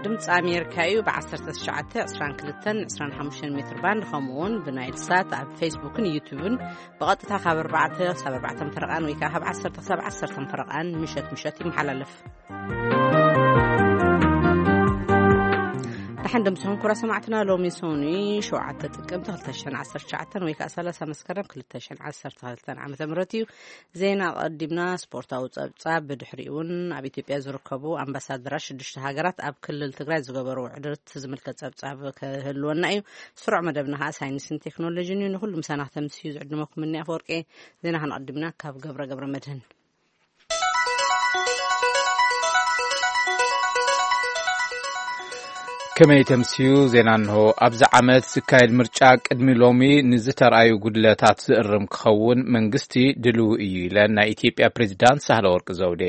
ድምፂ ኣሜሪካ እዩ። ብ1922-25 ሜትር ባንድ፣ ከምኡ እውን ብናይል ሳት ኣብ ፌስቡክን ዩቱብን ብቐጥታ ካብ ኣርባዕተ ክሳብ ኣርባዕተ ፈረቓን ወይ ከዓ ካብ ዓሰርተ ክሳብ ዓሰርተ ፈረቓን ምሸት ምሸት ይመሓላለፍ። ደሓን ደምስኹም ኩራ ሰማዕትና። ሎሚ ሶኒ ሸውዓተ ጥቅምቲ ክልተ ሽሕን ዓሰርተ ትሽዓተን ወይ ከዓ ሰላሳ መስከረም ክልተ ሽሕን ዓሰርተ ክልተን ዓመተ ምህረት እዩ። ዜና ቀዲምና፣ ስፖርታዊ ጸብጻብ፣ ብድሕሪኡ እውን ኣብ ኢትዮጵያ ዝርከቡ ኣምባሳደራት ሽዱሽተ ሃገራት ኣብ ክልል ትግራይ ዝገበርዎ ዕድርት ዝምልከት ጸብጻብ ክህልወና እዩ። ስሩዕ መደብና ከዓ ሳይንስን ቴክኖሎጂን እዩ። ንኹሉ ምሳና ክተምስዩ ዝዕድመኩም እኒ ኣፈወርቂ። ዜና ክንቐድምና ካብ ገብረ ገብረ መድህን። ከመይ ተምስዩ ዜና እንሆ። ኣብዚ ዓመት ዝካየድ ምርጫ ቅድሚ ሎሚ ንዝተርኣዩ ጉድለታት ዝእርም ክኸውን መንግስቲ ድልው እዩ ኢለን ናይ ኢትዮጵያ ፕሬዚዳንት ሳህለ ወርቅ ዘውዴ።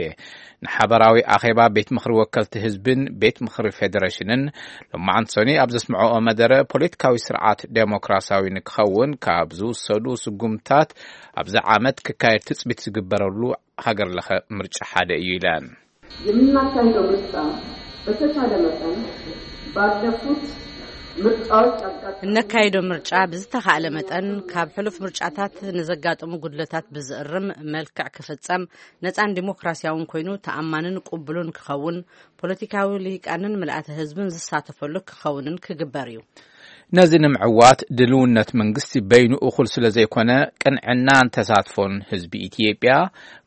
ንሓበራዊ ኣኼባ ቤት ምኽሪ ወከልቲ ህዝብን ቤት ምኽሪ ፌዴሬሽንን ሎማዓንቲ ሰኒ ኣብ ዘስምዐኦ መደረ፣ ፖለቲካዊ ስርዓት ዴሞክራሲያዊ ንክኸውን ካብ ዝውሰዱ ስጉምታት ኣብዚ ዓመት ክካየድ ትጽቢት ዝግበረሉ ሃገር ለኸ ምርጫ ሓደ እዩ ኢለን። የምናካሂደው ምርጫ በተቻለ መጠን ባለፉት ምርጫዎች ያጋጠሙ እነካይዶ ምርጫ ብዝተኻእለ መጠን ካብ ሕሉፍ ምርጫታት ንዘጋጥሙ ጉድለታት ብዝእርም መልክዕ ክፍጸም፣ ነጻን ዲሞክራሲያውን ኮይኑ ተኣማንን ቅቡልን ክኸውን፣ ፖለቲካዊ ልሂቃንን ምልኣተ ህዝብን ዝሳተፈሉ ክኸውንን ክግበር እዩ። ነዚ ንምዕዋት ድልውነት መንግስቲ በይኑ እኹል ስለ ዘይኮነ፣ ቅንዕናን ተሳትፎን ህዝቢ ኢትዮጵያ፣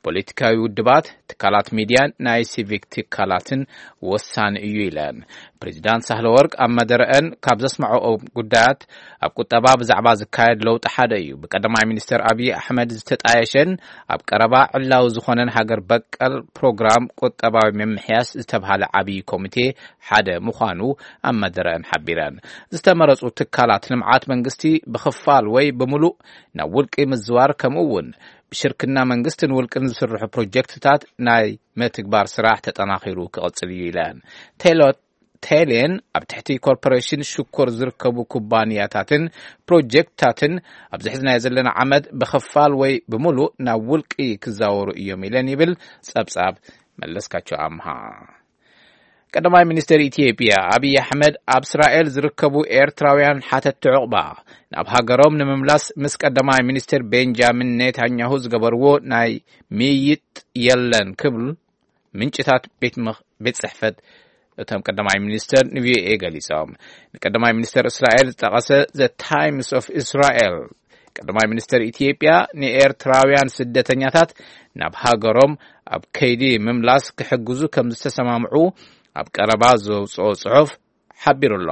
ፖለቲካዊ ውድባት፣ ትካላት ሚድያን ናይ ሲቪክ ትካላትን ወሳኒ እዩ ኢለን። ፕሬዚዳንት ሳህለ ወርቅ ኣብ መደረአን ካብ ዘስምዐኦ ጉዳያት፣ ኣብ ቁጠባ ብዛዕባ ዝካየድ ለውጢ ሓደ እዩ። ብቀዳማይ ሚኒስትር ኣብይ ኣሕመድ ዝተጣየሸን ኣብ ቀረባ ዕላዊ ዝኾነን ሃገር በቀል ፕሮግራም ቁጠባዊ ምምሕያሽ ዝተብሃለ ዓብዪ ኮሚቴ ሓደ ምዃኑ ኣብ መደረአን ሓቢረን። ዝተመረጹ ትካላት ልምዓት መንግስቲ ብኽፋል ወይ ብምሉእ ናብ ውልቂ ምዝዋር፣ ከምኡ እውን ብሽርክና መንግስትን ውልቅን ዝስርሑ ፕሮጀክትታት ናይ ምትግባር ስራሕ ተጠናኺሩ ክቕጽል እዩ ኢለን። ቴሎ ቴሌን ኣብ ትሕቲ ኮርፖሬሽን ሽኮር ዝርከቡ ኩባንያታትን ፕሮጀክትታትን ኣብዚ ሕዝናዮ ዘለና ዓመት ብኽፋል ወይ ብምሉእ ናብ ውልቂ ክዛወሩ እዮም ኢለን ይብል ጸብጻብ መለስካቸው ኣምሃ። ቀዳማይ ሚኒስትር ኢትዮጵያ ኣብይ ኣሕመድ ኣብ እስራኤል ዝርከቡ ኤርትራውያን ሓተትቲ ዑቕባ ናብ ሃገሮም ንምምላስ ምስ ቀዳማይ ሚኒስትር ቤንጃሚን ኔታንያሁ ዝገበርዎ ናይ ምይይጥ የለን ክብል ምንጭታት ቤት ምኽ-፣ ቤት ጽሕፈት እቶም ቀዳማይ ሚኒስተር ንቪኦኤ ገሊጾም። ንቀዳማይ ሚኒስተር እስራኤል ዝጠቐሰ ዘ ታይምስ ኦፍ እስራኤል፣ ቀዳማይ ሚኒስተር ኢትዮጵያ ንኤርትራውያን ስደተኛታት ናብ ሃገሮም ኣብ ከይዲ ምምላስ ክሕግዙ ከም ዝተሰማምዑ ኣብ ቀረባ ዘውጽኦ ጽሑፍ ሓቢሩ ኣሎ።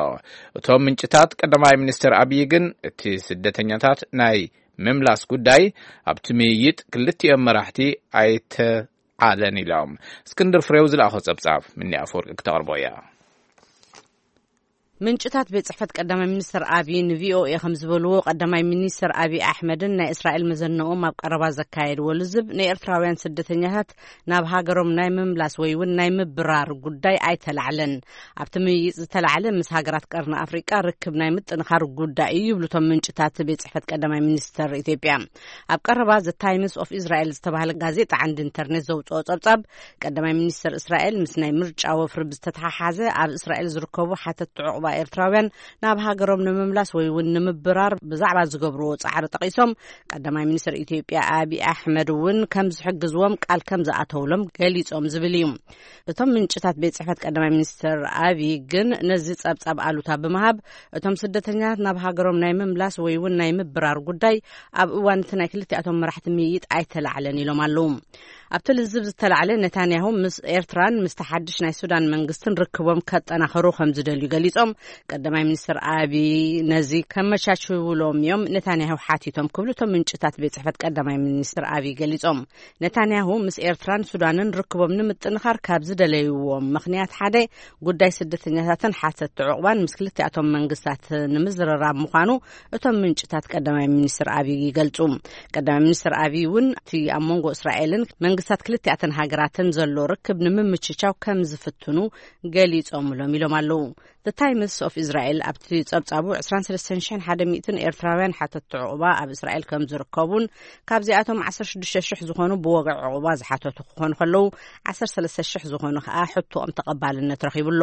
እቶም ምንጭታት ቀዳማይ ሚኒስተር ኣብይ ግን እቲ ስደተኛታት ናይ ምምላስ ጉዳይ ኣብቲ ምይይጥ ክልቲኦም መራሕቲ ኣይተ ዓለን ኢሎም። እስክንድር ፍሬው ዝለኣኾ ጸብጻብ ምኒ ኣፈወርቂ ክተቕርቦ እያ። ምንጭታት ቤት ጽሕፈት ቀዳማይ ሚኒስትር ኣብይ ንቪኦኤ ከም ዝበልዎ፣ ቀዳማይ ሚኒስትር ኣብይ ኣሕመድን ናይ እስራኤል መዘነኦም ኣብ ቀረባ ዘካየድዎ ልዝብ ንኤርትራውያን ስደተኛታት ናብ ሃገሮም ናይ ምምላስ ወይ እውን ናይ ምብራር ጉዳይ ኣይተላዕለን። ኣብቲ ምይይጥ ዝተላዕለ ምስ ሃገራት ቀርኒ ኣፍሪቃ ርክብ ናይ ምጥንኻር ጉዳይ እዩ ይብሉ እቶም ምንጭታት ቤት ጽሕፈት ቀዳማይ ሚኒስትር ኢትዮጵያ። ኣብ ቀረባ ዘ ታይምስ ኦፍ እስራኤል ዝተባህለ ጋዜጣ ዓንዲ ኢንተርኔት ዘውፅኦ ጸብጻብ፣ ቀዳማይ ሚኒስትር እስራኤል ምስ ናይ ምርጫ ወፍሪ ብዝተተሓሓዘ ኣብ እስራኤል ዝርከቡ ሓተትቲ ዕቑባ ኤርትራውያን ናብ ሃገሮም ንምምላስ ወይ እውን ንምብራር ብዛዕባ ዝገብርዎ ጻዕሪ ጠቒሶም፣ ቀዳማይ ሚኒስትር ኢትዮጵያ ኣብይ ኣሕመድ እውን ከም ዝሕግዝዎም ቃል ከም ዝኣተውሎም ገሊጾም ዝብል እዩ። እቶም ምንጭታት ቤት ጽሕፈት ቀዳማይ ሚኒስትር ኣብይ ግን ነዚ ጸብጻብ ኣሉታ ብምሃብ፣ እቶም ስደተኛታት ናብ ሃገሮም ናይ ምምላስ ወይ እውን ናይ ምብራር ጉዳይ ኣብ እዋን እቲ ናይ ክልቲኣቶም መራሕቲ ምይይጥ ኣይተላዕለን ኢሎም ኣለዉ። ኣብቲ ልዝብ ዝተላዕለ፣ ነታንያሁ ምስ ኤርትራን ምስቲ ሓድሽ ናይ ሱዳን መንግስትን ርክቦም ከጠናኸሩ ከም ዝደልዩ ገሊጾም፣ ቀዳማይ ሚኒስትር ኣብይ ነዚ ከመቻችውሎም እዮም ነታንያሁ ሓቲቶም ክብሉ እቶም ምንጭታት ቤት ጽሕፈት ቀዳማይ ሚኒስትር ኣብይ ገሊጾም። ነታንያሁ ምስ ኤርትራን ሱዳንን ርክቦም ንምጥንኻር ካብ ዝደለይዎም ምኽንያት ሓደ፣ ጉዳይ ስደተኛታትን ሓተትቲ ዕቑባን ምስ ክልቲኣቶም መንግስታት ንምዝርራብ ምዃኑ እቶም ምንጭታት ቀዳማይ ሚኒስትር ኣብይ ይገልጹ። ቀዳማይ ሚኒስትር ኣብይ እውን እቲ ኣብ መንጎ እስራኤልን መንግስታት ክልቲኣተን ሃገራትን ዘሎ ርክብ ንምምችቻው ከም ዝፍትኑ ገሊጾምሎም ኢሎም ኣለዉ። The Times of Israel ኣብቲ ጸብጻቡ ዕስራን ሰለስተን ሽሕን ሓደ ሚእትን ኤርትራውያን ሓተትቲ ዕቑባ ኣብ እስራኤል ከም ዝርከቡን ካብዚኣቶም ዓሰርተ ሽዱሽተ ሽሕ ዝኾኑ ብወግዒ ዕቑባ ዝሓተቱ ክኾኑ ከለዉ ዓሰርተ ሰለስተ ሽሕ ዝኾኑ ከኣ ሕቶኦም ተቐባልነት ረኺቡ ኣሎ።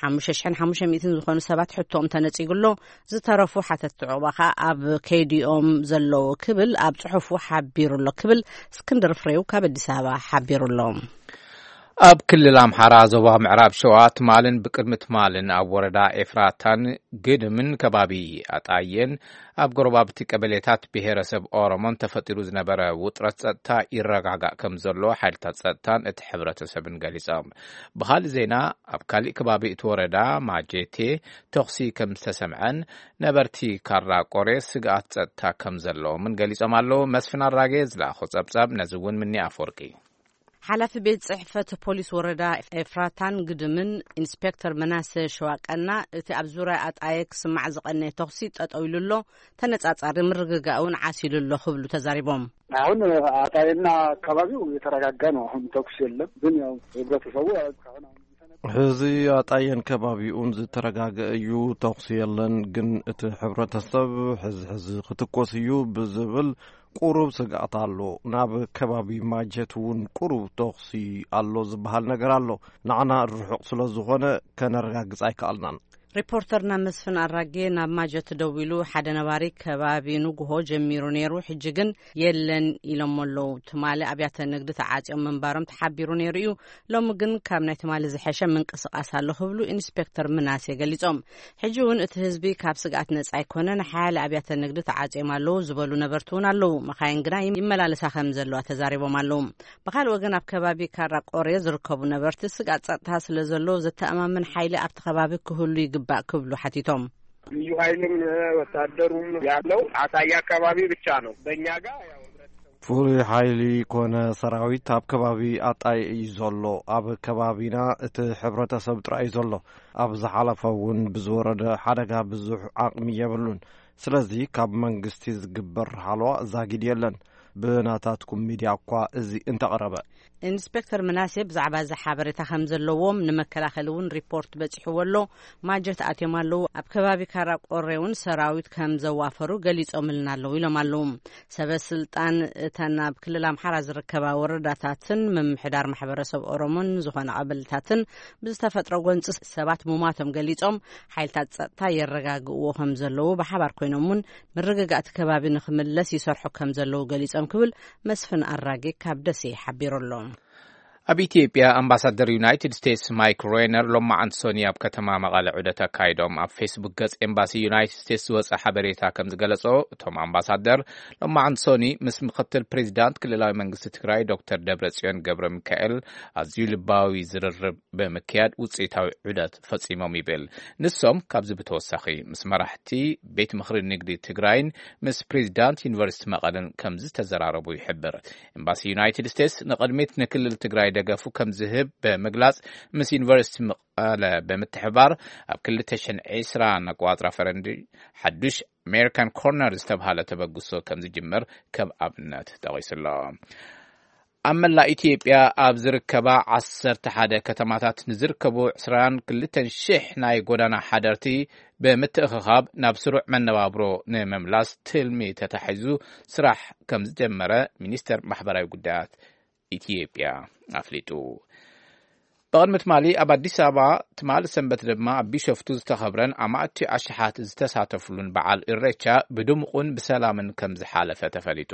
ሓሙሽተ ሽሕን ሓሙሽተ ሚእትን ዝኾኑ ሰባት ሕቶኦም ተነጺጉ ኣሎ። ዝተረፉ ሓተትቲ ዕቑባ ከኣ ኣብ ከይዲኦም ዘለዉ ክብል ኣብ ጽሑፉ ሓቢሩ ኣሎ ክብል እስክንድር ፍሬው ካብ ኣዲስ ኣበባ ሓቢሩ ኣሎ። ኣብ ክልል ኣምሓራ ዞባ ምዕራብ ሸዋ ትማልን ብቅድሚ ትማልን ኣብ ወረዳ ኤፍራታን ግድምን ከባቢ ኣጣየን ኣብ ጎረባብቲ ቀበሌታት ብሄረሰብ ኦሮሞን ተፈጢሩ ዝነበረ ውጥረት ጸጥታ ይረጋጋእ ከም ዘሎ ሓይልታት ጸጥታን እቲ ሕብረተሰብን ገሊጾም። ብኻልእ ዜና ኣብ ካሊእ ከባቢ እቲ ወረዳ ማጀቴ ተኹሲ ከም ዝተሰምዐን ነበርቲ ካራ ቆሬ ስግኣት ጸጥታ ከም ዘለዎምን ገሊጾም ኣለዉ። መስፍን ኣራጌ ዝለኣኾ ጸብጻብ ነዚ እውን ምኒ ኣፈወርቂ። ሓላፊ ቤት ጽሕፈት ፖሊስ ወረዳ ኤፍራታን ግድምን ኢንስፔክተር መናሰ ሸዋቀና፣ እቲ ኣብ ዙርያ ኣጣየ ክስማዕ ዝቐነየ ተኹሲ ጠጠው ኢሉ ኣሎ፣ ተነጻጻሪ ምርግጋእ እውን ዓሲሉ ኣሎ ክብሉ ተዛሪቦም። አሁን አጣይና አካባቢው የተረጋጋ ነው። አሁን ተኩስ የለም። ግን ያው ህብረተሰቡ እስካሁን አሁን ሕዚ ኣጣየን ከባቢኡን ዝተረጋገ እዩ። ተኹሲ የለን፣ ግን እቲ ሕብረተሰብ ሕዚ ሕዚ ክትኮስ እዩ ብዝብል ቁሩብ ስግኣት ኣሎ። ናብ ከባቢ ማጀት እውን ቁሩብ ተኹሲ ኣሎ ዝበሃል ነገር ኣሎ። ንዓና ርሑቕ ስለ ዝኾነ ከነረጋግጽ ኣይከኣልናን። ሪፖርተርና መስፍን ኣራጌ ናብ ማጀት ደዊሉ ሓደ ነባሪ ከባቢ ንጉሆ ጀሚሩ ነይሩ፣ ሕጂ ግን የለን ኢሎም ኣለዉ። ትማሊ ኣብያተ ንግዲ ተዓጽዮም ምንባሮም ተሓቢሩ ነይሩ እዩ። ሎሚ ግን ካብ ናይ ትማሊ ዝሐሸ ምንቅስቃስ ኣሎ ክብሉ ኢንስፔክተር ምናሴ ገሊጾም። ሕጂ እውን እቲ ህዝቢ ካብ ስግኣት ነጻ ኣይኮነን፣ ሓያለ ኣብያተ ንግዲ ተዓጽዮም ኣለዉ ዝበሉ ነበርቲ እውን ኣለዉ። መኻይን ግና ይመላለሳ ከም ዘለዋ ተዛሪቦም ኣለዉ። ብኻልእ ወገን ኣብ ከባቢ ካራ ቆሬ ዝርከቡ ነበርቲ ስግኣት ጸጥታ ስለ ዘሎ ዘተኣማምን ሓይሊ ኣብቲ ከባቢ ክህሉ ይግባእ ክብሉ ሓቲቶም። ልዩ ኃይልም ወታደሩም ያለው አጣያ አካባቢ ብቻ ነው። በእኛ ጋር ያው ፍሉይ ሓይሊ ኮነ ሰራዊት ኣብ ከባቢ ኣጣይ እዩ ዘሎ። ኣብ ከባቢና እቲ ሕብረተሰብ ጥራይ እዩ ዘሎ። ኣብ ዝሓለፈ እውን ብዝወረደ ሓደጋ ብዙሕ ዓቕሚ የብሉን። ስለዚ ካብ መንግስቲ ዝግበር ሓለዋ ዛጊድ የለን። ብናታትኩም ሚድያ እኳ እዚ እንተቐረበ። ኢንስፔክተር ምናሴ ብዛዕባ እዚ ሓበሬታ ከም ዘለዎም ንመከላኸሊ እውን ሪፖርት በጺሕዎ ኣሎ። ማጀት ኣትዮም ኣለዉ። ኣብ ከባቢ ካራ ቆሬ እውን ሰራዊት ከም ዘዋፈሩ ገሊጾምልና ኣለዉ ኢሎም ኣለዉ። ሰበ ስልጣን እተን ኣብ ክልል ኣምሓራ ዝርከባ ወረዳታትን ምምሕዳር ማሕበረሰብ ኦሮሞን ዝኾነ ቀበሌታትን ብዝተፈጥረ ጎንፂ ሰባት ሙማቶም ገሊጾም፣ ሓይልታት ጸጥታ የረጋግእዎ ከም ዘለዉ ብሓባር ኮይኖም እውን ምርግጋእ እቲ ከባቢ ንኽምለስ ይሰርሑ ከም ዘለዉ ገሊጾም ክብል መስፍን ኣራጌ ካብ ደሴ ሓቢሩ ኣሎ። ኣብ ኢትዮጵያ ኣምባሳደር ዩናይትድ ስቴትስ ማይክ ሬነር ሎማዓንቲ ሶኒ ኣብ ከተማ መቐለ ዑደት ኣካይዶም። ኣብ ፌስቡክ ገጽ ኤምባሲ ዩናይትድ ስቴትስ ዝወጸ ሓበሬታ ከም ዝገለጾ፣ እቶም ኣምባሳደር ሎማዓንቲ ሶኒ ምስ ምክትል ፕሬዚዳንት ክልላዊ መንግስቲ ትግራይ ዶክተር ደብረጽዮን ገብረ ሚካኤል ኣዝዩ ልባዊ ዝርርብ ብምክያድ ውጽኢታዊ ዑደት ፈጺሞም ይብል። ንሶም ካብዚ ብተወሳኺ ምስ መራሕቲ ቤት ምኽሪ ንግዲ ትግራይን ምስ ፕሬዚዳንት ዩኒቨርሲቲ መቐለን ከም ዝተዘራረቡ ይሕብር። ኤምባሲ ዩናይትድ ስቴትስ ንቕድሚት ንክልል ትግራይ ደገፉ ከም ዝህብ ብምግላጽ፣ ምስ ዩኒቨርሲቲ መቐለ ብምትሕባር ኣብ ክልተ ሽሕን ዕስራን ኣቆጻጽራ ፈረንጂ ሓዱሽ ኣሜሪካን ኮርነር ዝተብሃለ ተበግሶ ከም ዝጅምር ከም ኣብነት ጠቒሱ ኣሎ። ኣብ መላእ ኢትዮጵያ ኣብ ዝርከባ ዓሰርተ ሓደ ከተማታት ንዝርከቡ ዕስራን ክልተን ሽሕ ናይ ጎዳና ሓደርቲ ብምትእኽኻብ ናብ ስሩዕ መነባብሮ ንምምላስ ትልሚ ተታሒዙ ስራሕ ከም ዝጀመረ ሚኒስተር ማሕበራዊ ጉዳያት ኢትዮጵያ ኣፍሊጡ። ብቕድሚ ትማሊ ኣብ ኣዲስ ኣበባ፣ ትማሊ ሰንበት ድማ ኣብ ቢሾፍቱ ዝተኸብረን ኣማእቲ ኣሽሓት ዝተሳተፍሉን በዓል ኢሬቻ ብድሙቕን ብሰላምን ከም ዝሓለፈ ተፈሊጡ።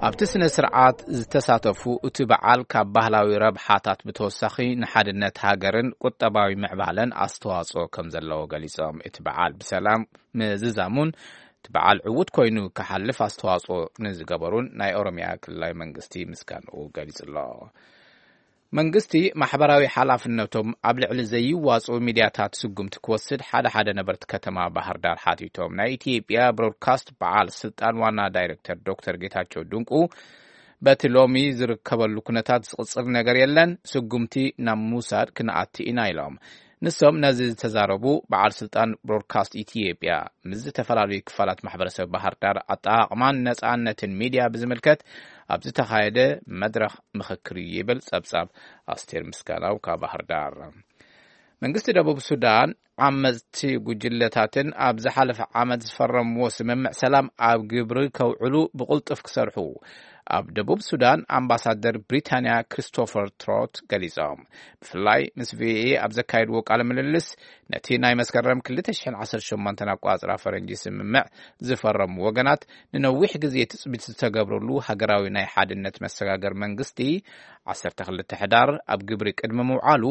ኣብቲ ስነ ስርዓት ዝተሳተፉ፣ እቲ በዓል ካብ ባህላዊ ረብሓታት ብተወሳኺ ንሓድነት ሃገርን ቁጠባዊ ምዕባለን ኣስተዋጽኦ ከም ዘለዎ ገሊጾም። እቲ በዓል ብሰላም ምዝዛሙን እቲ በዓል ዕዉት ኮይኑ ክሓልፍ ኣስተዋጽኦ ንዝገበሩን ናይ ኦሮሚያ ክልላዊ መንግስቲ ምስጋንኡ ገሊጹ ኣሎ። መንግስቲ ማሕበራዊ ሓላፍነቶም ኣብ ልዕሊ ዘይዋጽኡ ሚድያታት ስጉምቲ ክወስድ ሓደ ሓደ ነበርቲ ከተማ ባህር ዳር ሓቲቶም። ናይ ኢትዮጵያ ብሮድካስት በዓል ስልጣን ዋና ዳይሬክተር ዶክተር ጌታቸው ድንቁ፣ በቲ ሎሚ ዝርከበሉ ኩነታት ዝቕጽር ነገር የለን፣ ስጉምቲ ናብ ምውሳድ ክንኣቲ ኢና ኢሎም። ንሶም ነዚ ዝተዛረቡ በዓል ስልጣን ብሮድካስት ኢትዮጵያ ምስ ዝተፈላለዩ ክፋላት ማሕበረሰብ ባህር ዳር ኣጠቓቕማን ነፃነትን ሚድያ ብዝምልከት ኣብ ዝተኻየደ መድረኽ ምኽክር እዩ ይብል ጸብጻብ ኣስቴር ምስጋናው ካብ ባህር ዳር። መንግስቲ ደቡብ ሱዳን ዓመፅቲ ጉጅለታትን ኣብ ዝሓለፈ ዓመት ዝፈረምዎ ስምምዕ ሰላም ኣብ ግብሪ ከውዕሉ ብቕልጡፍ ክሰርሑ ኣብ ደቡብ ሱዳን ኣምባሳደር ብሪታንያ ክሪስቶፈር ትሮት ገሊጾም። ብፍላይ ምስ ቪኦኤ ኣብ ዘካየድዎ ቃለ ምልልስ፣ ነቲ ናይ መስከረም ክልተ ሽሕን ዓሰርተ ሸሞንተን ኣቋጽራ ፈረንጂ ስምምዕ ዝፈረሙ ወገናት ንነዊሕ ግዜ ትጽቢት ዝተገብረሉ ሃገራዊ ናይ ሓድነት መሰጋገር መንግስቲ ዓሰርተ ክልተ ሕዳር ኣብ ግብሪ ቅድሚ ምውዓሉ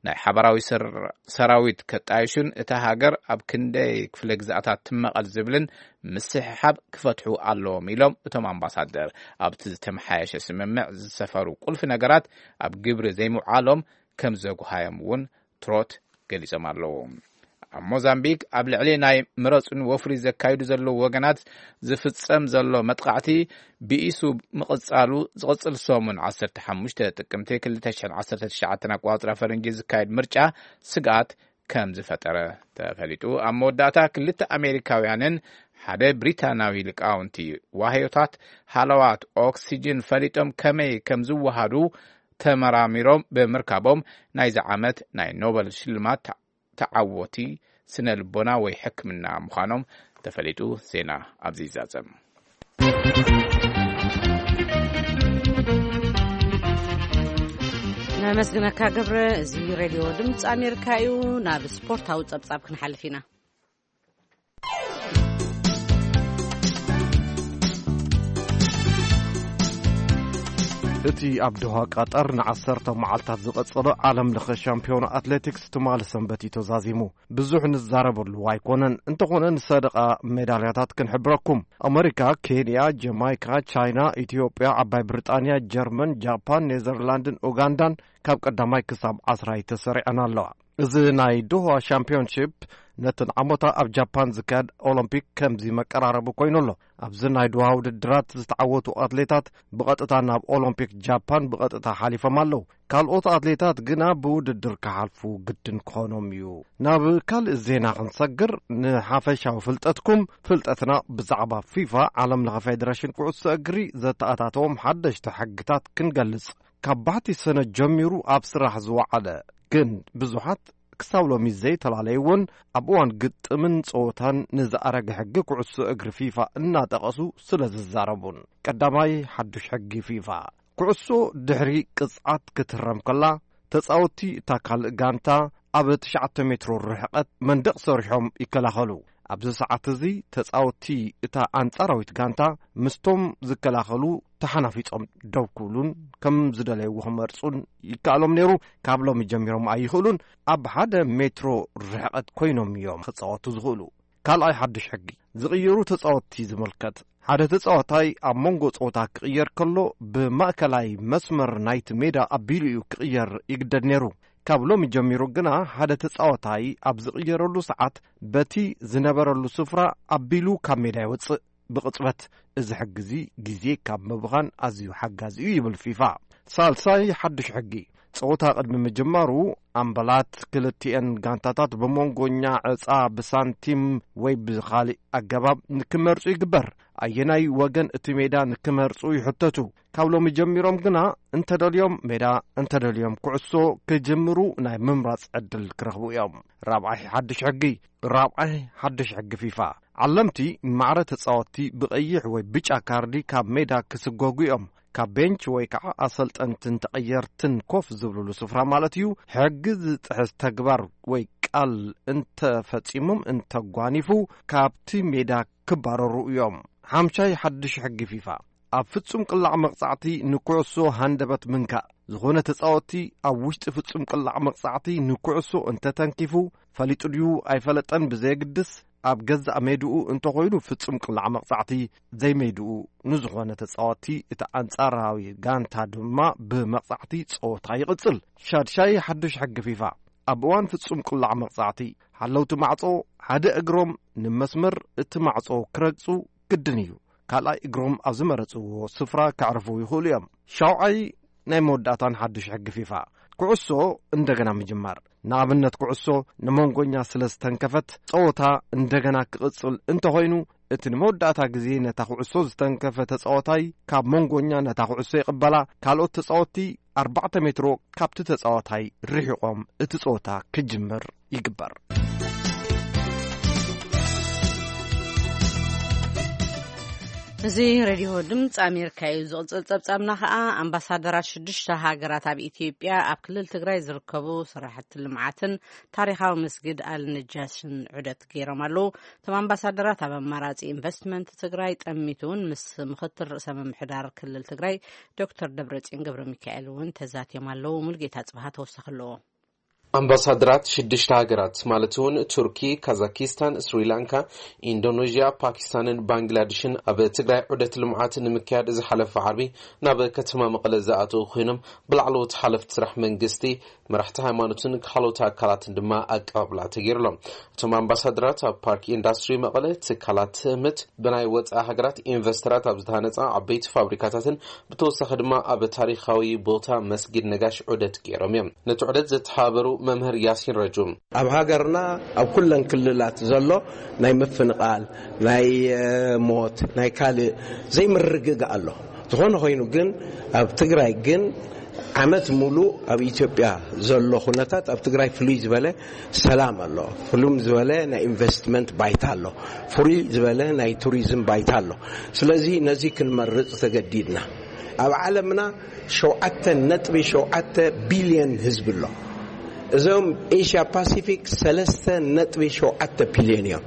ናይ ሓባራዊ ሰር-፣ ሰራዊት ከጣይሹን እታ ሃገር ኣብ ክንደይ ክፍለ ግዝኣታት ትመቐል ዝብልን ምስሕሓብ ክፈትሑ ኣለዎም ኢሎም። እቶም ኣምባሳደር ኣብቲ ዝተመሓየሸ ስምምዕ ዝሰፈሩ ቁልፊ ነገራት ኣብ ግብሪ ዘይምውዓሎም ከም ዘጉሃዮም እውን ትሮት ገሊጾም ኣለዉ። ኣብ ሞዛምቢክ ኣብ ልዕሊ ናይ ምረጹን ወፍሪ ዘካይዱ ዘለዉ ወገናት ዝፍጸም ዘሎ መጥቃዕቲ ብኢሱ ምቕጻሉ ዝቕጽል ሰሙን ዓሰርተ ሓሙሽተ ጥቅምቲ ክልተ ሽሕን ዓሰርተ ትሽዓተን ኣቋጽራ ፈረንጂ ዝካየድ ምርጫ ስግኣት ከም ዝፈጠረ ተፈሊጡ። ኣብ መወዳእታ ክልተ ኣሜሪካውያንን ሓደ ብሪታናዊ ሊቃውንቲ ዋህዮታት ሃለዋት ኦክሲጅን ፈሊጦም ከመይ ከም ዝወሃዱ ተመራሚሮም ብምርካቦም ናይዚ ዓመት ናይ ኖበል ሽልማት ተዓወቲ ስነ ልቦና ወይ ሕክምና ምዃኖም ተፈሊጡ። ዜና ኣብዚ ይዛዘም። ነመስግነካ ገብረ። እዚ ሬድዮ ድምፂ ኣሜሪካ እዩ። ናብ ስፖርታዊ ጸብጻብ ክንሓልፍ ኢና። እቲ ኣብ ዶሃ ቀጠር ንዓሰርተ መዓልታት ዝቐጸለ ዓለም ለኸ ሻምፒዮን ኣትሌቲክስ ትማሊ ሰንበት እዩ ተዛዚሙ። ብዙሕ ንዛረበሉ ኣይኮነን። እንተኾነ ንሰደቓ ሜዳልያታት ክንሕብረኩም። ኣመሪካ፣ ኬንያ፣ ጀማይካ፣ ቻይና፣ ኢትዮጵያ፣ ዓባይ ብሪጣንያ፣ ጀርመን፣ ጃፓን፣ ኔዘርላንድን ኡጋንዳን ካብ ቀዳማይ ክሳብ ዓስራይ ተሰሪዐን ኣለዋ። እዚ ናይ ዶሃ ሻምፒዮንሺፕ ነተን ዓመታ ኣብ ጃፓን ዝካየድ ኦሎምፒክ ከምዚ መቀራረቢ ኮይኑ ኣሎ። ኣብዚ ናይ ዶሃ ውድድራት ዝተዓወቱ ኣትሌታት ብቐጥታ ናብ ኦሎምፒክ ጃፓን ብቐጥታ ሓሊፎም ኣለዉ። ካልኦት ኣትሌታት ግና ብውድድር ክሓልፉ ግድን ክኾኖም እዩ። ናብ ካልእ ዜና ክንሰግር፣ ንሓፈሻዊ ፍልጠትኩም፣ ፍልጠትና ብዛዕባ ፊፋ፣ ዓለም ለኸ ፌደሬሽን ኩዕሶ እግሪ፣ ዘተኣታተዎም ሓደሽቲ ሕግታት ክንገልጽ። ካብ ባሕቲ ሰነ ጀሚሩ ኣብ ስራሕ ዝወዓለ፣ ግን ብዙሓት ክሳብ ሎሚ ዘይተላለይዎን ኣብ እዋን ግጥምን ጸወታን ንዝኣረገ ሕጊ ኩዕሶ እግሪ ፊፋ እናጠቐሱ ስለ ዝዛረቡን። ቀዳማይ ሓዱሽ ሕጊ ፊፋ። ኩዕሶ ድሕሪ ቅጽዓት ክትህረም ከላ፣ ተጻወትቲ እታ ካልእ ጋንታ ኣብ ትሽዓተ ሜትሮ ርሕቀት መንደቕ ሰሪሖም ይከላኸሉ። ኣብዚ ሰዓት እዚ ተጻወትቲ እታ ኣንጻራዊት ጋንታ ምስቶም ዝከላኸሉ ተሓናፊጾም ደው ክብሉን ከም ዝደለይዎ ክመርጹን ይከኣሎም ነይሩ። ካብ ሎሚ ጀሚሮም ኣይኽእሉን። ኣብ ሓደ ሜትሮ ርሕቀት ኮይኖም እዮም ክጻወቱ ዝኽእሉ። ካልኣይ ሓድሽ ሕጊ፣ ዝቕየሩ ተጻወትቲ ዝምልከት። ሓደ ተጻዋታይ ኣብ መንጎ ጸወታ ክቕየር ከሎ፣ ብማእከላይ መስመር ናይቲ ሜዳ ኣቢሉ እዩ ክቕየር ይግደድ ነይሩ። ካብ ሎሚ ጀሚሩ ግና፣ ሓደ ተጻዋታይ ኣብ ዝቕየረሉ ሰዓት፣ በቲ ዝነበረሉ ስፍራ ኣቢሉ ካብ ሜዳ ይወጽእ። ብቕጽበት፣ እዚ ሕጊ እዚ ግዜ ካብ ምብኻን ኣዝዩ ሓጋዚ እዩ ይብል ፊፋ። ሳልሳይ ሓድሽ ሕጊ፣ ጸወታ ቅድሚ ምጅማሩ፣ ኣምበላት ክልቲኤን ጋንታታት ብመንጎኛ ዕጻ ብሳንቲም ወይ ብኻልእ ኣገባብ ንክመርጹ ይግበር። ኣየናይ ወገን እቲ ሜዳ ንክመርጹ ይሕተቱ። ካብ ሎሚ ጀሚሮም ግና እንተደልዮም ሜዳ፣ እንተደልዮም ኩዕሶ ክጅምሩ ናይ ምምራጽ ዕድል ክረኽቡ እዮም። ራብዓይ ሓድሽ ሕጊ፣ ራብዓይ ሓድሽ ሕጊ ፊፋ፣ ዓለምቲ ማዕረ ተጻወትቲ ብቐይሕ ወይ ብጫ ካርዲ ካብ ሜዳ ክስጎጉ እዮም። ካብ ቤንች ወይ ከዓ ኣሰልጠንትን ተቐየርትን ኮፍ ዝብሉሉ ስፍራ ማለት እዩ። ሕጊ ዝጥሕስ ተግባር ወይ ቃል እንተፈጺሞም እንተጓኒፉ ካብቲ ሜዳ ክባረሩ እዮም። ሓምሻይ ሓድሽ ሕጊ ፊፋ፣ ኣብ ፍጹም ቅላዕ መቕጻዕቲ ንኩዕሶ ሃንደበት ምንካእ። ዝኾነ ተጻወትቲ ኣብ ውሽጢ ፍጹም ቅላዕ መቕጻዕቲ ንኩዕሶ እንተተንኪፉ፣ ፈሊጡ ድዩ ኣይፈለጠን ብዘየግድስ፣ ኣብ ገዛእ ሜድኡ እንተኾይኑ ፍጹም ቅላዕ መቕጻዕቲ፣ ዘይሜድኡ ንዝኾነ ተጻወትቲ እቲ ኣንጻራዊ ጋንታ ድማ ብመቕጻዕቲ ጸወታ ይቕጽል። ሻድሻይ ሓድሽ ሕጊ ፊፋ፣ ኣብ እዋን ፍጹም ቅላዕ መቕጻዕቲ፣ ሓለውቲ ማዕጾ ሓደ እግሮም ንመስመር እቲ ማዕጾ ክረግጹ ግድን እዩ። ካልኣይ እግሮም ኣብ ዝመረጽዎ ስፍራ ከዕርፉ ይኽእሉ እዮም። ሻውዓይ ናይ መወዳእታን ሓድሽ ሕጊ ፊፋ፣ ኩዕሶ እንደገና ምጅማር። ንኣብነት ኩዕሶ ንመንጎኛ ስለ ዝተንከፈት፣ ጸወታ እንደገና ክቕጽል እንተኾይኑ፣ እቲ ንመወዳእታ ግዜ ነታ ኩዕሶ ዝተንከፈ ተጻዋታይ ካብ መንጎኛ ነታ ኩዕሶ ይቕበላ። ካልኦት ተጻወትቲ ኣርባዕተ ሜትሮ ካብቲ ተጻዋታይ ርሒቖም እቲ ጸወታ ክጅምር ይግበር። እዚ ሬድዮ ድምፂ ኣሜሪካ እዩ። ዝቕፅል ጸብጻብና ኸዓ፣ ኣምባሳደራት ሽዱሽተ ሃገራት ኣብ ኢትዮጵያ ኣብ ክልል ትግራይ ዝርከቡ ስራሕቲ ልምዓትን ታሪኻዊ መስጊድ ኣልነጃሽን ዑደት ገይሮም ኣለዉ። እቶም ኣምባሳደራት ኣብ ኣማራፂ ኢንቨስትመንት ትግራይ ጠሚቱ እውን ምስ ምኽትል ርእሰ ምምሕዳር ክልል ትግራይ ዶክተር ደብረፅዮን ገብረ ሚካኤል እውን ተዛትዮም ኣለዉ። ሙልጌታ ጽብሃ ተወሳኺ ኣለዎ። ኣምባሳደራት ሽዱሽተ ሃገራት ማለት እውን ቱርኪ፣ ካዛኪስታን፣ ስሪላንካ፣ ኢንዶኔዥያ፣ ፓኪስታንን ባንግላድሽን ኣብ ትግራይ ዑደት ልምዓት ንምክያድ ዝሓለፈ ዓርቢ ናብ ከተማ መቐለ ዝኣተዉ ኮይኖም፣ ብላዕለዎት ሓለፍቲ ስራሕ መንግስቲ፣ መራሕቲ ሃይማኖትን ካልኦት ኣካላትን ድማ ኣቀባብላ ተገይሩሎም። እቶም ኣምባሳደራት ኣብ ፓርክ ኢንዳስትሪ መቐለ፣ ትካላት ትእምት፣ ብናይ ወፃኢ ሃገራት ኢንቨስተራት ኣብ ዝተሃነፃ ዓበይቲ ፋብሪካታትን ብተወሳኺ ድማ ኣብ ታሪኻዊ ቦታ መስጊድ ነጋሽ ዑደት ገይሮም እዮም። ነቲ ዑደት ዘተሓባበሩ መምህር ያሲን ረጁ፣ ኣብ ሃገርና ኣብ ኩለን ክልላት ዘሎ ናይ ምፍንቓል፣ ናይ እ፣ ሞት፣ ናይ ካልእ ዘይምርግጋእ ኣሎ። ዝኾነ ኮይኑ ግን ኣብ ትግራይ ግን ዓመት ሙሉ ኣብ ኢትዮጵያ ዘሎ ኩነታት ኣብ ትግራይ ፍሉይ ዝበለ ሰላም ኣሎ። ፍሉም ዝበለ ናይ ኢንቨስትመንት ባይታ ኣሎ። ፍሉይ ዝበለ ናይ ቱሪዝም ባይታ ኣሎ። ስለዚ ነዚ ክንመርጽ ተገዲድና። ኣብ ዓለምና ሸውዓተ ነጥቢ ሸውዓተ ቢልዮን ህዝቢ ኣሎ። እዞም ኤሽያ ፓሲፊክ ሰለስተ ነጥቢ ሸውዓተ ቢልዮን እዮም።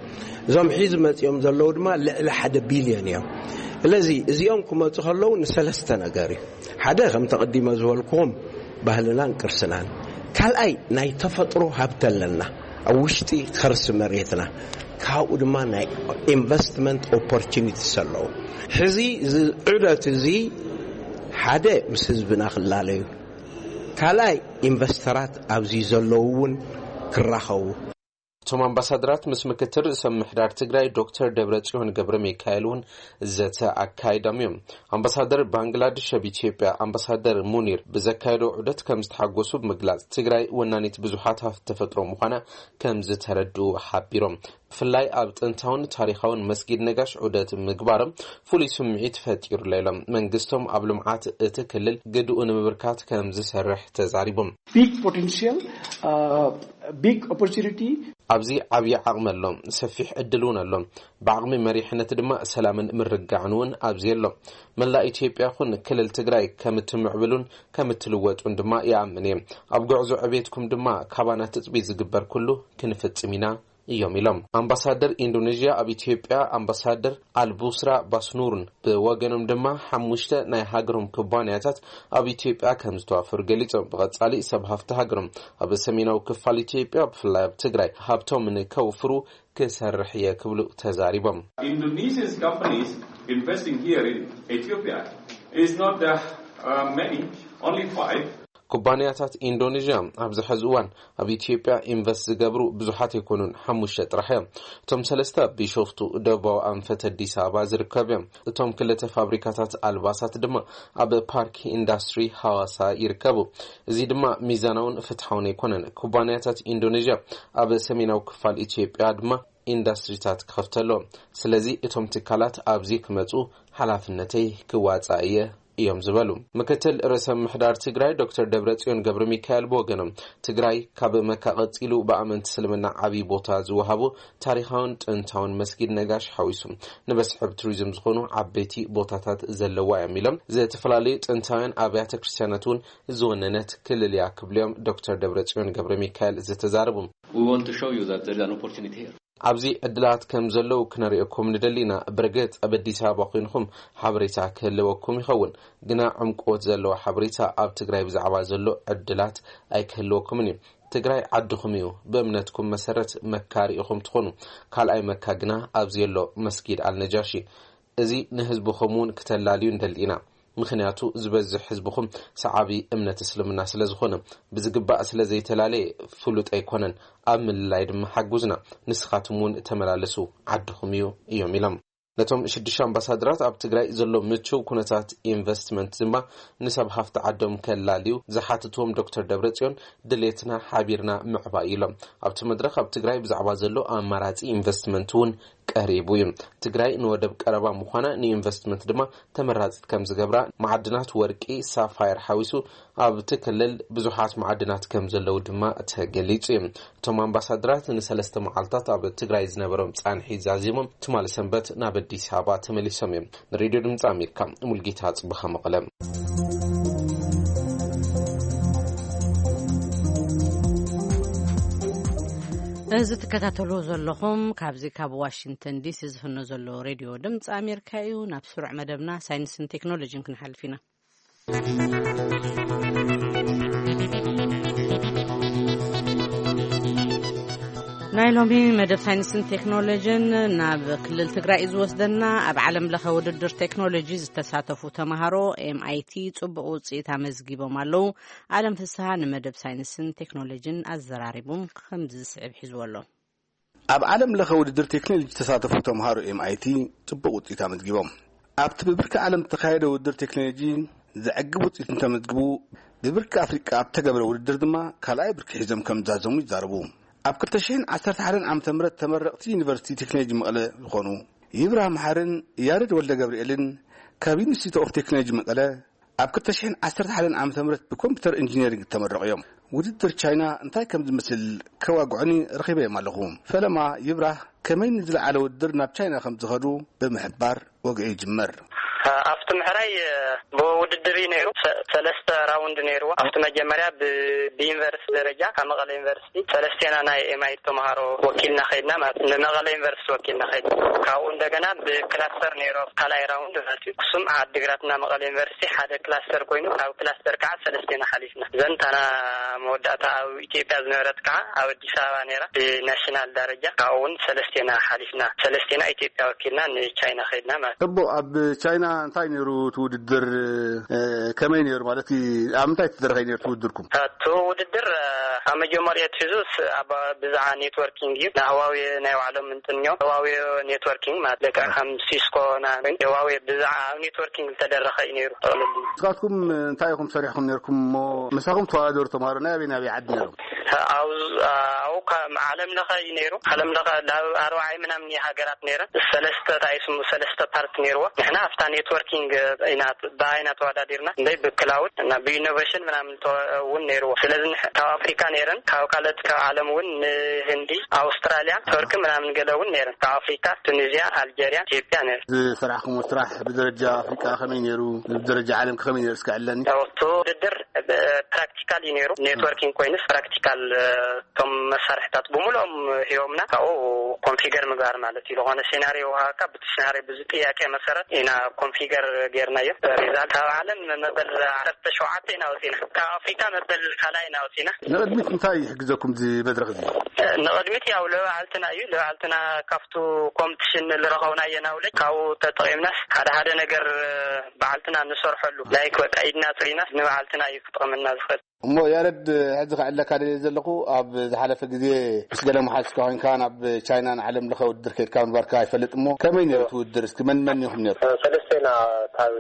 እዞም ሒዚ መጺኦም ዘለዉ ድማ ልዕሊ ሓደ ቢልዮን እዮም። ስለዚ እዚኦም ክመጹ ከለዉ ንሰለስተ ነገር እዩ። ሓደ ከም ተቐዲመ ዝበልኩኹም ባህልናን ቅርስናን። ካልኣይ ናይ ተፈጥሮ ሃብቲ ኣለና ኣብ ውሽጢ ከርሲ መሬትና። ካብኡ ድማ ናይ ኢንቨስትመንት ኦፖርቹኒቲስ ኣለዉ። ሕዚ እዚ ዑደት እዚ ሓደ ምስ ህዝብና ክላለዩ፣ ካልኣይ ኢንቨስተራት ኣብዚ ዘለዉ እውን ክራኸቡ። እቶም ኣምባሳደራት ምስ ምክትል ርእሰ ምምሕዳር ትግራይ ዶክተር ደብረጽዮን ገብረ ሚካኤል እውን ዘተ ኣካይዶም እዮም። ኣምባሳደር ባንግላድሽ ኣብ ኢትዮጵያ ኣምባሳደር ሙኒር ብዘካየዶ ዑደት ከም ዝተሓጎሱ ብምግላጽ፣ ትግራይ ወናኒት ብዙሓት ሃፍቲ ተፈጥሮ ምዃና ከም ዝተረድኡ ሓቢሮም። ብፍላይ ኣብ ጥንታውን ታሪኻውን መስጊድ ነጋሽ ዑደት ምግባሮም ፍሉይ ስምዒት ፈጢሩለይ ኢሎም። መንግስቶም ኣብ ልምዓት እቲ ክልል ግድኡ ንምብርካት ከም ዝሰርሕ ተዛሪቦም። Big potential, uh, big opportunity. ኣብዚ ዓብዪ ዓቕሚ ኣሎ፣ ሰፊሕ ዕድል እውን ኣሎ። ብዓቕሚ መሪሕነት ድማ ሰላምን ምርግጋዕን እውን ኣብዚ ኣሎ። መላእ ኢትዮጵያ ኹን ክልል ትግራይ ከም እትምዕብሉን ከም እትልወጡን ድማ ይኣምን እየ። ኣብ ጉዕዞ ዕቤትኩም ድማ ካባና ትጽቢት ዝግበር ኩሉ ክንፍጽም ኢና እዮም ኢሎም። ኣምባሳደር ኢንዶኔዥያ ኣብ ኢትዮጵያ ኣምባሳደር ኣልቡስራ ባስኑርን ብወገኖም ድማ ሓሙሽተ ናይ ሃገሮም ኩባንያታት ኣብ ኢትዮጵያ ከም ዝተዋፈሩ ገሊጾም፣ ብቐጻሊ ሰብ ሃፍቲ ሃገሮም ኣብ ሰሜናዊ ክፋል ኢትዮጵያ ብፍላይ ኣብ ትግራይ ሃብቶም ንከውፍሩ ክሰርሕ እየ ክብሉ ተዛሪቦም። Indonesian companies investing here in Ethiopia is not uh, uh, many, only five. ኩባንያታት ኢንዶኔዥያ ኣብዚ ሕዚ እዋን ኣብ ኢትዮጵያ ኢንቨስት ዝገብሩ ብዙሓት ኣይኮኑን፣ ሓሙሽተ ጥራሕ እዮም። እቶም ሰለስተ ኣብ ቢሾፍቱ ደቡባዊ ኣንፈት ኣዲስ ኣበባ ዝርከቡ እዮም። እቶም ክልተ ፋብሪካታት ኣልባሳት ድማ ኣብ ፓርክ ኢንዳስትሪ ሃዋሳ ይርከቡ። እዚ ድማ ሚዛናውን ፍትሓውን ኣይኮነን። ኩባንያታት ኢንዶኔዥያ ኣብ ሰሜናዊ ክፋል ኢትዮጵያ ድማ ኢንዳስትሪታት ክኸፍተሎም። ስለዚ እቶም ትካላት ኣብዚ ክመጹ ሓላፍነተይ ክዋጻእ እየ እዮም ዝበሉ። ምክትል ርእሰ ምምሕዳር ትግራይ ዶክተር ደብረጽዮን ገብረ ሚካኤል ብወገኖም፣ ትግራይ ካብ መካ ቀጺሉ ብኣመንቲ እስልምና ዓብዪ ቦታ ዝወሃቡ ታሪኻውን ጥንታውን መስጊድ ነጋሽ ሓዊሱ ንመስሕብ ቱሪዝም ዝኾኑ ዓበይቲ ቦታታት ዘለዋ እዮም ኢሎም፣ ዝተፈላለዩ ጥንታውያን ኣብያተ ክርስቲያናት እውን ዝወነነት ክልል እያ ክብሉ እዮም ዶክተር ደብረጽዮን ገብረ ሚካኤል ዝተዛረቡ። We want to show you that there is an opportunity here. ኣብዚ ዕድላት ከም ዘለዉ ክነርእየኩም ንደሊ ኢና። ብርግጽ ኣብ ኣዲስ ኣበባ ኮይንኹም ሓበሬታ ክህልወኩም ይኸውን፣ ግና ዕምቆት ዘለዎ ሓበሬታ ኣብ ትግራይ ብዛዕባ ዘሎ ዕድላት ኣይክህልወኩምን እዩ። ትግራይ ዓድኹም እዩ። ብእምነትኩም መሰረት መካ ርኢኹም ትኾኑ። ካልኣይ መካ ግና ኣብዚ ኣሎ መስጊድ ኣልነጃሺ። እዚ ንህዝብኹም እውን ክተላልዩ ንደሊ ኢና። ምኽንያቱ ዝበዝሕ ህዝብኹም ሰዓቢ እምነት እስልምና ስለ ዝኾነ፣ ብዝግባእ ስለ ዘይተላለየ ፍሉጥ ኣይኮነን። ኣብ ምልላይ ድማ ሓጉዝና። ንስኻትኩም እውን ተመላለሱ፣ ዓድኹም እዩ እዮም ኢሎም። ነቶም ሽዱሽተ ኣምባሳደራት ኣብ ትግራይ ዘሎ ምቹው ኩነታት ኢንቨስትመንት ድማ ንሰብ ሃፍቲ ዓዶም ከላልዩ ዝሓተትዎም ዶክተር ደብረጽዮን፣ ድሌትና ሓቢርና ምዕባይ ኢሎም። ኣብቲ መድረኽ ኣብ ትግራይ ብዛዕባ ዘሎ ኣማራጺ ኢንቨስትመንት እውን ቀሪቡ እዩ። ትግራይ ንወደብ ቀረባ ምዃና ንኢንቨስትመንት ድማ ተመራጺት ከም ዝገብራ፣ ማዕድናት ወርቂ፣ ሳፋየር ሓዊሱ ኣብቲ ክልል ብዙሓት ማዕድናት ከም ዘለዉ ድማ ተገሊጹ እዩ። እቶም ኣምባሳደራት ንሰለስተ መዓልታት ኣብ ትግራይ ዝነበሮም ጻንሒት ዛዚሞም ትማሊ ሰንበት ናብ ኣዲስ ኣበባ ተመሊሶም እዮም። ንሬድዮ ድምፂ ኣሜሪካ፣ ሙልጌታ ጽብኻ፣ መቐለ። እዚ ትከታተሉ ዘለኹም ካብዚ ካብ ዋሽንግተን ዲሲ ዝፍኖ ዘሎ ሬድዮ ድምፂ ኣሜሪካ እዩ። ናብ ስሩዕ መደብና ሳይንስን ቴክኖሎጂን ክንሓልፍ ኢና። ናይ ሎሚ መደብ ሳይንስን ቴክኖሎጂን ናብ ክልል ትግራይ እዩ ዝወስደና። ኣብ ዓለም ለኸ ውድድር ቴክኖሎጂ ዝተሳተፉ ተምሃሮ ኤምኣይቲ ጽቡቕ ውጽኢት ኣመዝጊቦም ኣለዉ። ኣለም ፍስሃ ንመደብ ሳይንስን ቴክኖሎጂን ኣዘራሪቡ ከምዚ ዝስዕብ ሒዝዎ ኣሎ። ኣብ ዓለም ለኸ ውድድር ቴክኖሎጂ ዝተሳተፉ ተምሃሮ ኤምኣይቲ ጽቡቕ ውጽኢት ኣመዝጊቦም። ኣብቲ ብብርኪ ዓለም ዝተኻየደ ውድድር ቴክኖሎጂ ዘዕግብ ውጽኢት እንተመዝግቡ፣ ብብርኪ ኣፍሪቃ ኣብ ተገብረ ውድድር ድማ ካልኣይ ብርኪ ሒዞም ከም ዝዛዘሙ ይዛረቡ። ኣብ ክልተ ሽሕን ዓሰርተ ሓደን ዓመተ ምህረት ተመረቕቲ ዩኒቨርሲቲ ቴክኖሎጂ መቐለ ዝኾኑ ይብራህ መሓርን ያሬድ ወልደ ገብርኤልን ካብ ዩኒቨርሲቲ ኦፍ ቴክኖሎጂ መቐለ ኣብ ክልተ ሽሕን ዓሰርተ ሓደን ዓመተ ምህረት ብኮምፒውተር ኢንጂነሪንግ እተመረቑ እዮም። ውድድር ቻይና እንታይ ከም ዝመስል ከዋግዑኒ ረኺበዮም ኣለኹ። ፈለማ ይብራህ ከመይ ንዝለዓለ ውድድር ናብ ቻይና ከም ዝኸዱ ብምሕባር ወግዒ ይጅመር። ኣብቲ ምሕራይ ብውድድር እዩ ነይሩ። ሰ- ሰለስተ ራውንድ ነይርዎ። ኣብቲ መጀመርያ ብ- ብዩኒቨርሲቲ ደረጃ ካብ መቐለ ዩኒቨርሲቲ ሰለስቴና ናይ ኤምኣይቲ ተምሃሮ ወኪልና ከይድና፣ ማለት ንመቐለ ዩኒቨርሲቲ ወኪልና ከይድና። ካብኡ እንደገና ብክላስተር ነይሩ ካልኣይ ራውንድ ማለት እዩ። ክሱም ዓዲግራትና መቐለ ዩኒቨርሲቲ ሓደ ክላስተር ኮይኑ፣ ካብ ክላስተር ከዓ ሰለስቴና ሓሊፍና። ዘንታና መወዳእታ ኣብ ኢትዮጵያ ዝነበረት ከዓ ኣብ ኣዲስ ኣበባ ነይራ ብናሽናል ደረጃ። ካብኡ እውን ሰለስቴና ሓሊፍና፣ ሰለስቴና ኢትዮጵያ ወኪልና ንቻይና ከይድና ማለት እዩ። እቦ፣ ኣብ ቻይና እንታይ ነይሩ እቲ ውድድር? እ፣ ከመይ ነይሩ? ማለት ኣብ ምንታይ ትደረኸ ነይሩ እቲ ውድድርኩም? እቲ ውድድር፣ እ፣ ካብ መጀመርያ ትሒዙ ስ- ኣብ ብዛዕባ ኔትወርኪንግ እዩ። ንህዋዌ ናይ ባዕሎም እንትን እዮም። ህዋዌ ኔትወርኪንግ ማለት ደቂ ከም ሲስኮ ና- ህዋዌ ብዛዕባ ኣብ ኔትወርኪንግ ዝተደረኸ እዩ ነይሩ። ጠቕልል ንስኻትኩም እንታይ ኢኹም ሰሪሕኩም ነይርኩም እሞ ምሳኹም ተወዳደሩ ተምሃሮ ናይ ኣበይ ናይ ኣበይ ዓዲ ነይሮም? ኣብ ኣብኡ ካብ ዓለም ለኸ እዩ ነይሩ። ዓለም ለኸ ላብ ኣርባዓይ ምናምን እዩ ሃገራት ነይረን። ሰለስተ እንታይ ስሙ ሰለስተ ፓርት ነይርዎ። ንሕና ኣብታ ኔትወርኪንግ ኢና ብኣይና ተወዳዲርና። እንደይ ብክላውድ እና ብኢኖቬሽን ምናምን ተወ- እውን ነይርዎ። ስለዚ ንሕ- ካብ ኣፍሪካ ነይረን፣ ካብ ካልኦት ካብ ዓለም እውን ንህንዲ፣ ኣውስትራሊያ፣ ቱርኪ ምናምን ገለ እውን ነይረን። ካብ ኣፍሪካ ቱኒዝያ፣ ኣልጀርያ፣ ኢትዮጵያ ነይሩ። ዝሰራሕኩሞ ስራሕ ብደረጃ ኣፍሪቃ ከመይ ነይሩ? ብደረጃ ዓለም ከመይ ነይሩ? እስከ ዕለኒ። እቲ ውድድር ብ- ፕራክቲካል እዩ ነይሩ። ኔትወርኪንግ ኮይኑስ ፕራክቲካል፣ እ፣ እቶም መሳርሕታት ብምልኦም ሂቦምና። ካብኡ ኮንፊገር ምግባር ማለት እዩ። ዝኾነ ሴናሪዮ ወሃካ ብቲ ሴናሪዮ ብዚ ጥያቄ መሰረት ኢና ኮንፊገር ጌርናዮ። ሪዛልት ካብ ዓለም መበል ዓሰርተ ሸውዓተ ኢና ወፂና። ካብ ኣፍሪካ መበል ካልኣይ ኢና ወፂና። ንቕድሚት እንታይ ይሕግዘኩም እዚ መድረኽ እዚ? ንቕድሚት ያው ለባዕልትና እዩ። ለባዕልትና ካብቱ ኮምፒቲሽን ዝረኸብናዮ ናውለጅ ካብኡ ተጠቒምናስ ሓደ ሓደ ነገር ባዕልትና ንሰርሐሉ። ላይክ በቃ ኢድና ፅሪናስ ንባዕልትና እዩ ክጠቕመና ዝኽእል። እሞ ያረድ፣ ሕዚ ከዕለካ ደልየ ዘለኹ፣ ኣብ ዝሓለፈ ግዜ ምስ ገለ መሓዝካ ኮይንካ ናብ ቻይና ንዓለም ለኸ ውድድር ከይድካ ምንባርካ ይፈልጥ። እሞ ከመይ ነይሩ እቲ ውድድር? እስኪ መን መን ኢኹም ነይሩ? ሰለስተ ኢና፣ ካብ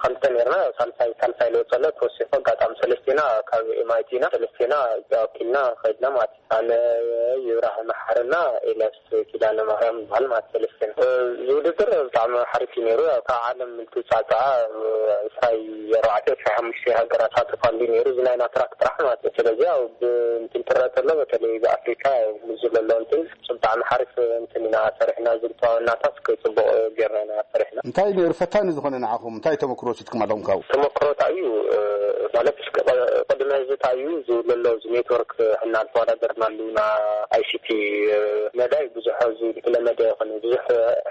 ክልተ ነርና። ሳልሳይ ሳልሳይ ለወፀለ ተወሲኹ። ኣጋጣሚ ሰለስቴና ካብ ኤምኣይቲ ኢና። ሰለስቴና ኢትዮጵያ ወኪልና ከይድና ማለት እዩ። ኣነ፣ ይብራህ መሓርና ኤልያስ ኪዳነ ማርያም ይበሃል ማለት ሰለስቴና። እዚ ውድድር ብጣዕሚ ሓሪፍ እዩ ነይሩ። ያው ካብ ዓለም ልትፃፃዓ ዕስራ ኣርባዕተ ዕስራ ሓሙሽተ ሃገራት ሳተፋሉ ነይሩ። እዚ ናይና ትራክ ጥራሕ ማለት እዩ። ስለዚ ያው ብእንትን ትረአ ተሎ፣ በተለይ ብኣፍሪካ ብዙ ለሎ እንትን ብጣዕሚ ሓሪፍ እንትን ኢና ሰሪሕና። ዝልተዋናታት ጽቡቕ ጌርና ኢና ሰሪሕና። እንታይ ነይሩ ፈታኒ ዝኾነ ንዓኹም? እንታይ ተመክሮ ወሲድኩም ኣለኹም ካብኡ? ተመክሮ እንታይ እዩ? እ፣ ማለት እስከ ቀ-፣ ቅድሚ ሕዚ እንታይ እዩ ዝብሉ ኣለዉ፣ እዚ ኔትወርክ ሕና ዝተወዳደርናሉ ና ኣይሲቲ፣ እ፣ መዳይ ብዙሕ እዚ ዝተለመደ ይኹን ብዙሕ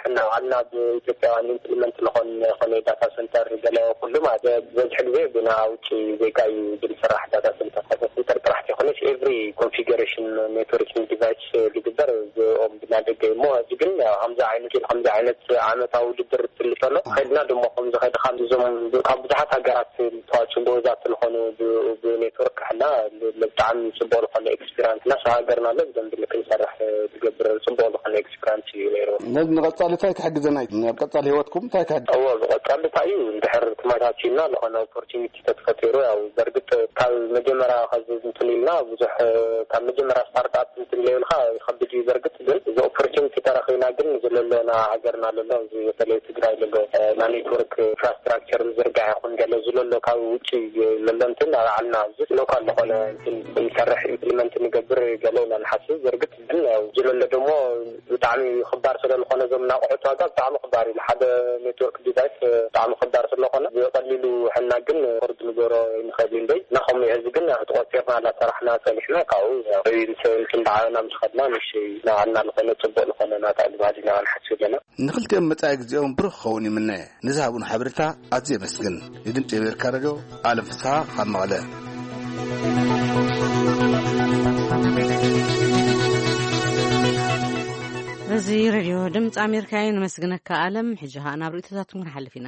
ሕና ባዕልና ብኢትዮጵያውያን ኢምፕሊመንት ዝኾን ይኹን ዳታ ሰንተር ገለ ኩሉ ማለት በዝሒ ግዜ ብና ውጪ ዜጋ እዩ ዝስራሕ ዳታ ሰንተር። ዳታ ሰንተር ጥራሕ ዘይኮነስ Every configuration networking device ዝግበር እዚኦም ብናደገ እሞ፣ እዚ ግን ያው ከምዚ ዓይነት ከምዚ ዓይነት ዓመታዊ ውድድር ትልጠሎ ከድና ድማ ከምዚ ከድኻ እዞም ካብ ብዙሓት ሃገራት ዝተዋፅኡ ጎበዛት ዝኾኑ ብ- ብኔትወርክ ሕና ብጣዕሚ ፅቡቅ ዝኾነ ኤክስፒሪንስ እና ሃገርና ኣሎ ብደንብ ክንሰርሕ ዝገብር ፅቡቅ ዝኾነ ኤክስፒሪንስ እዩ ነይሩ። ነዚ ንቐጻሊ እንታይ ክሕግዘና እዩ? ኣብ ቀጻሊ ህይወትኩም እንታይ ክሕግዘና? እዎ፣ ብቐጻሊ እንታይ እዩ፣ እንድሕር ተመቻችልና ዝኾነ ኦፖርቹኒቲ ተተፈጢሩ፣ ያው በርግጥ ካብ መጀመርያ ከዚ እንትን ኢልና ብዙሕ፣ ካብ መጀመርያ ስታርትኣፕ እንትን ኢለ ኢልካ ይኸብድ እዩ። በርግጥ ግን እዚ ኦፖርቹኒቲ ተረኺብና ግን ዘለሎና ሃገርና ለሎ፣ እዚ በተለይ ትግራይ ለሎ፣ እ፣ ናይ ኔትወርክ ኢንፍራስትራክቸር ምዝርጋሕ ይኹን ገለ ዝለሎ ካብ ውጭ ለሎ እንትን ኣልዓልና፣ እዚ ሎካል ዝኾነ እንትን ንሰርሕ ኢምፕሊመንት ንገብር ገለ ኢና ንሓስብ። በርግጥ ግን ያው ዝለሎ ደሞ ብጣዕሚ ክባር ስለ ዝኾነ፣ እዞም እናቑሑት ዋጋ ብጣዕሚ ክባር እዩ። ሓደ ኔትወርክ ዲቫይስ ብጣዕሚ ክባር ስለኾነ ብቐሊሉ ሕና ግን ፎርድ ንገሮ ይንኸእል እዩ። እንደይ እና ከምኡ እዩ። ሕዚ ግን ያው ተቖፂርና እናሰራሕና ፀኒሕና፣ ካብኡ ያው ምስ ምስ እንዳዓበና ምስ ኸድና ንእሽተይ ናባዕልና ዝኾነ ፅቡቕ ዝኾነ ናታ እዩ ባህል ኢና ንሓስብ ዘለና። ንኽልቲኦም መጻኢ ግዜኦም ብሩኽ ክኸውን ይምነ። ንዝሃቡን ሓበሬታ ኣዝየ የመስግን። ንድምጺ ኣሜሪካ ሬድዮ ኣለም ፍስሓ ካብ መቐለ። እዚ ሬድዮ ድምፂ ኣሜሪካ እዩ። ነመስግነካ ኣለም። ሕጂ ኸኣ ናብ ርእይቶታትኩም ክንሓልፍ ኢና።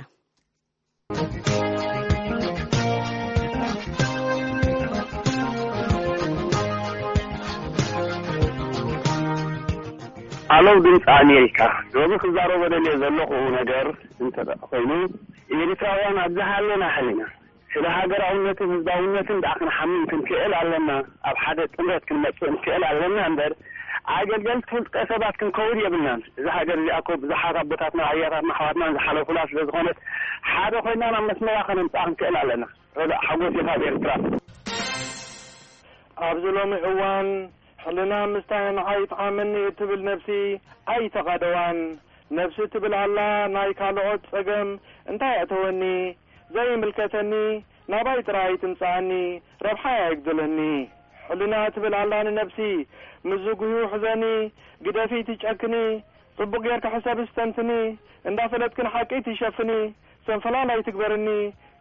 ኣለው ድምፂ ኣሜሪካ። ሎሚ ክዛረቦ ደልየ ዘለኹ ነገር እንተ ኮይኑ፣ ኤርትራውያን ኣብ ዝሃለና ሕሊና ስለ ሃገራውነትን ህዝባውነትን ደኣ ክንሓምን ክንክእል ኣለና። ኣብ ሓደ ጥምረት ክንመፅእ ንክእል ኣለና እምበር፣ ኣገልገልቲ ውልቀ ሰባት ክንከውን የብልናን። እዛ ሃገር እዚኣ እኮ ብዙሓት ኣቦታትና፣ ኣያታትና፣ ኣሕዋትናን ዝሓለፉላ ስለ ዝኾነት፣ ሓደ ኮይና ናብ መስመራ ከነምፅኣ ክንክእል ኣለና። ረዳእ ሓጎስ ኢኻ ኣብ ኤርትራ። ኣብዚ ሎሚ እዋን፣ ሕልና ምስታይ ንዓይ ይጥዓመኒ እትብል ነብሲ ኣይተቓደዋን። ነብሲ ትብል ኣላ፣ ናይ ካልኦት ጸገም እንታይ ኣእተወኒ? ዘይምልከተኒ፣ ናባይ ጥራይ ትምጽኣኒ፣ ረብሓይ ኣይጉደለኒ። ሕልና ትብል ኣላ ንነብሲ፣ ምስ ዝጉህዩ ሕዘኒ፣ ግደፊ ትጨክኒ፣ ጽቡቕ ጌርኪ ሕሰቢ ስተንትኒ፣ እንዳፈለጥኪ ንሓቂ ትሸፍኒ፣ ሰንፈላል ኣይትግበርኒ፣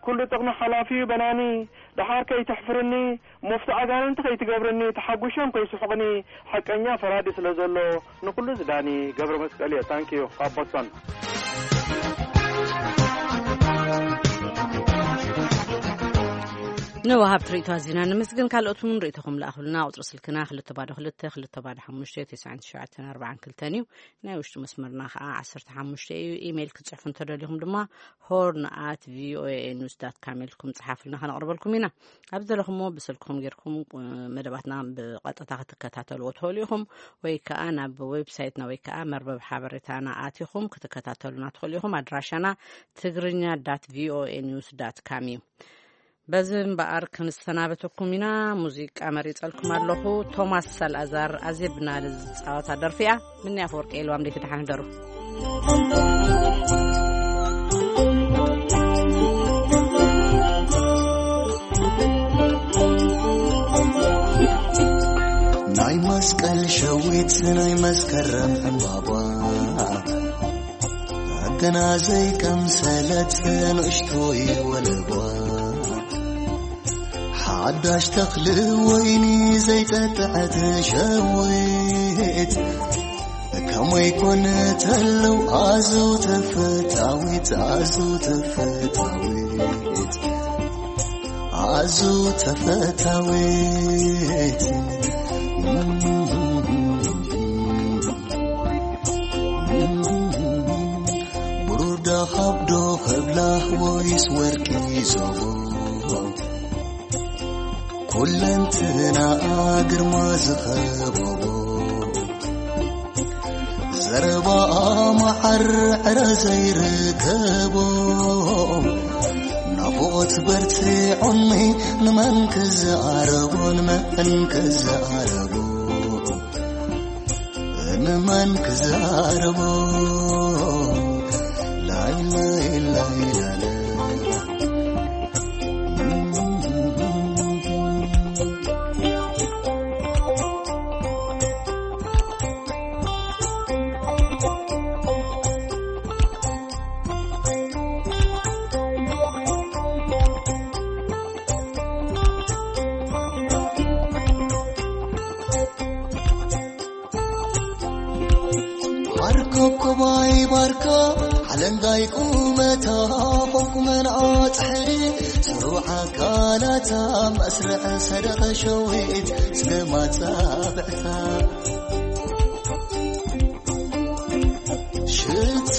ኩሉ ጥቕሚ ሓላፊ እዩ በናኒ፣ ደሓር ከይትሕፍርኒ፣ ሙፍቲ ኣጋንንቲ ከይትገብርኒ፣ ተሓጒሾም ከይስሕቑኒ፣ ሓቀኛ ፈራዲ ስለ ዘሎ፣ ንኹሉ ዝዳኒ፣ ገብረ መስቀል እየ። ታንኪዩ፣ ካብ ቦስቶን። ንወሃብቲ ርእይቶ ኣዚና ንምስግን። ካልኦት እውን ርእይቶኹም ለኣኹልና። ቁጽሪ ስልክና ክልተ ባዶ ክልተ፣ ክልተ ባዶ ሓሙሽተ፣ ተስዓን ትሽዓተን ኣርባዓን ክልተን እዩ። ናይ ውሽጢ መስመርና ኸዓ ዓሰርተ ሓሙሽተ እዩ። ኢሜይል ክትጽሕፉ እንተደሊኹም ድማ ሆርን ኣት ቪኦኤ ኒውስ ዳት ካም ኢልኩም ጽሓፉልና፣ ከነቕርበልኩም ኢና። ኣብ ዘለኹሞ ብስልክኹም ጌርኩም፣ እ፣ መደባትና ብቐጥታ ክትከታተልዎ ትኽእሉ ኢኹም፣ ወይ ከኣ ናብ ዌብሳይትና ወይ ከኣ መርበብ ሓበሬታና ኣቲኹም ክትከታተሉና ትኽእሉ ኢኹም። ኣድራሻና ትግርኛ ዳት ቪኦኤ ኒውስ ዳት ካም እዩ። በዚ እምበኣር ክንሰናበተኩም ኢና። ሙዚቃ መሪጸልኩም ኣለኹ። ቶማስ ሳልኣዛር ኣዜብና ዝጻወታ ደርፊ እያ። ምንያ ኣፈወርቂ የልዋም ደይተ ደሓን ደሩ። ናይ መስቀል ሸዊት ናይ መስከረም ዕምባባ፣ ገና ዘይቀምሰለት ንእሽቶይ ወለባ፣ ሓዳሽ ተኽሊ ወይኒ ዘይጠጥዐት ሸዊት፣ ከመይ ኮን ተለው ኣዝዩ ተፈታዊት፣ ኣዝዩ ተፈታዊት፣ ኣዝዩ ተፈታዊት። ብሩር ዶ ካብ ዶ ከብላ ወይስ ወርቂ ዞቦ? ኩለንትናኣ ግርማ ዝኸበቦ፣ ዘረባኣ መዓር ዕረ ዘይርከቦ፣ ናፍቖት በርቲዑኒ ንመን ክዛረቦ፣ ንመን ክዛረቦ? ንመን ክዛረቦ? ላይ ላይ ላይ ላለ። ኣለንጋይ ቁመታ ቁመንዓ ጽሕሪ ስሩዕ ኣካላታ መስርዕ ሰደቐ ሸዊት ስገማት ጻብዕታ ሽቱ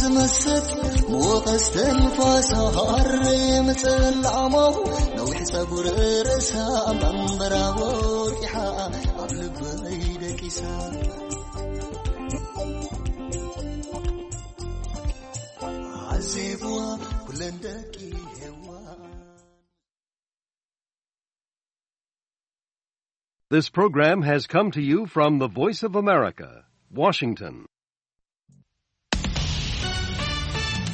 ዝመስል ምወቐስ ተንፋሳ ሃር ምጽላዕማው ነዊሕ ጸጉር ርእሳ መንበራ ወቂሓ ኣብ ልበይ ደቂሳ ዓዜብዋ ኩለን ደቂ ሄዋ This program has come to you from the Voice of America, Washington.